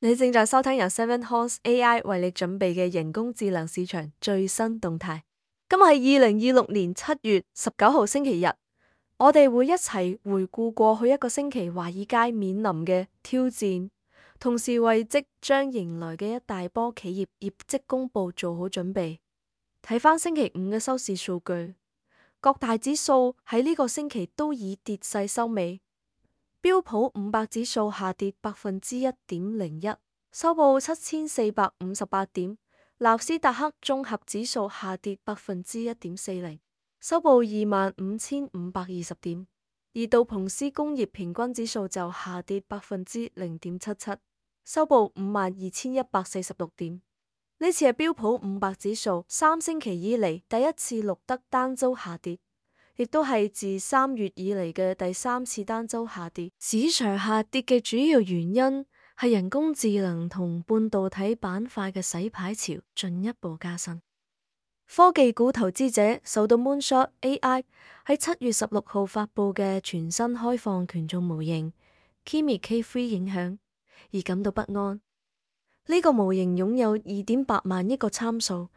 你正在收聽由 Seven Horse AI 為你準備嘅人工智能市場最新動態。今日係2026年7月19號星期日，我哋會一齊回顧過去一個星期華爾街面臨嘅挑戰，同時為即將迎來嘅一大波企業業績公布做好準備。睇返星期五嘅收市數據，各大指數喺呢個星期都以跌勢收尾。標普500指數下跌1.01%，收報7458點；納斯達克綜合指數下跌1.40%，收報25520點；而道瓊斯工業平均指數就下跌0.77%，收報52146點。呢次係標普500指數3星期以嚟第一次錄得單周下跌，亦都係自3月以嚟嘅第3次單周下跌。市場下跌嘅主要原因係人工智能同半導體板塊嘅洗牌潮進一步加深。科技股投資者受到 Moonshot AI 喺7月16號發佈嘅全新開放權重模型 Kimi K3 影響而感到不安。呢個模型擁有2.8萬億個參數，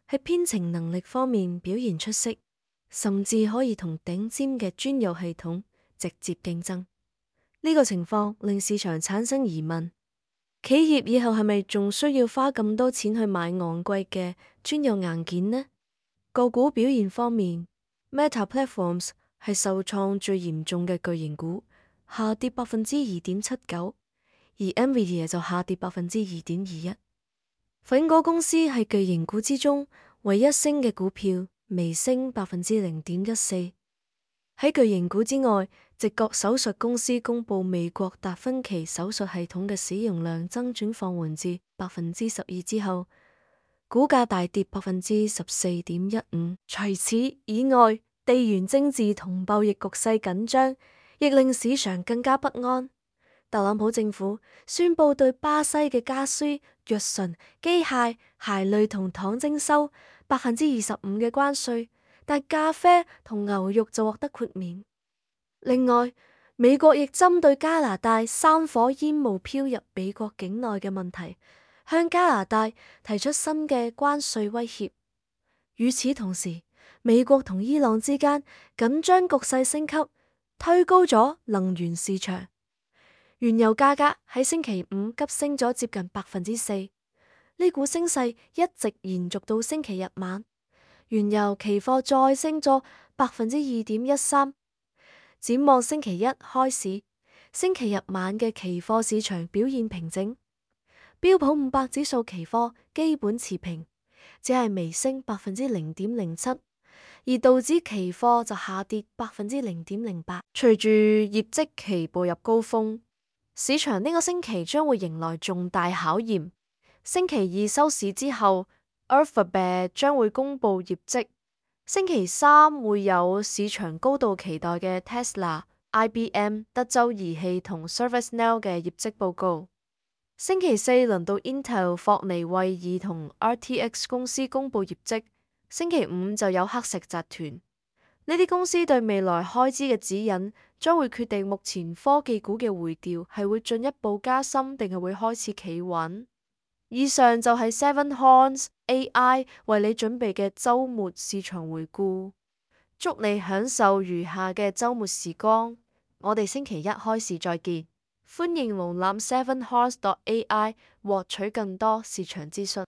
喺編程能力方面表現出色，甚至可以同頂尖嘅專有系統直接競爭。呢個情況令市場產生疑問：企業以後係咪仲需要花咁多錢去買昂貴嘅專有硬件呢？個股表現方面，Meta Platforms 係受創最嚴重嘅巨型股，下跌2.79%。而 Nvidia 就下跌2.21%。蘋果公司係巨型股之中唯一升嘅股票，微升0.14%。喺巨型股之外，直覺手術公司公布美國達芬奇手術系統嘅使用量增長放緩至12%之後，股價大跌14.15%。除此以外，地緣政治同貿易局勢緊張，亦令市場更加不安。特朗普政府宣布對巴西嘅家私、藥醇、機械、鞋類同糖徵收25%嘅關稅，但咖啡同牛肉就獲得豁免。另外，美國亦針對加拿大山火煙霧飄入美國境內嘅問題，向加拿大提出新嘅關稅威脅。與此同時，美國同伊朗之間緊張局勢升級，推高咗能源市場。原油價格喺星期五急升咗接近4%，呢股升勢一直延續到星期日晚。原油期貨再升咗2.13%。展望星期一開市，星期日晚嘅期貨市場表現平靜。標普500指數期貨基本持平，只係微升0.07%，而道指期貨就下跌0.08%。隨住業績期步入高峰，市場呢個星期將會迎來重大考驗。星期二收市之後 Alphabet 將會公布業績。星期三會有市場高度期待嘅 Tesla、IBM、德州儀器同 ServiceNow 嘅業績報告。星期四輪到 Intel、霍尼韋爾同 RTX 公司公布業績。星期五就有黑石集團。呢啲公司對未來開支嘅指引，將會決定目前科技股嘅回調係會進一步加深，定係會開始企穩。以上就係 Seven Horse AI 為你準備嘅週末市場回顧。祝你享受餘下嘅週末時光。我哋星期一開市再見。歡迎瀏覽 7horse.ai 獲取更多市場資訊。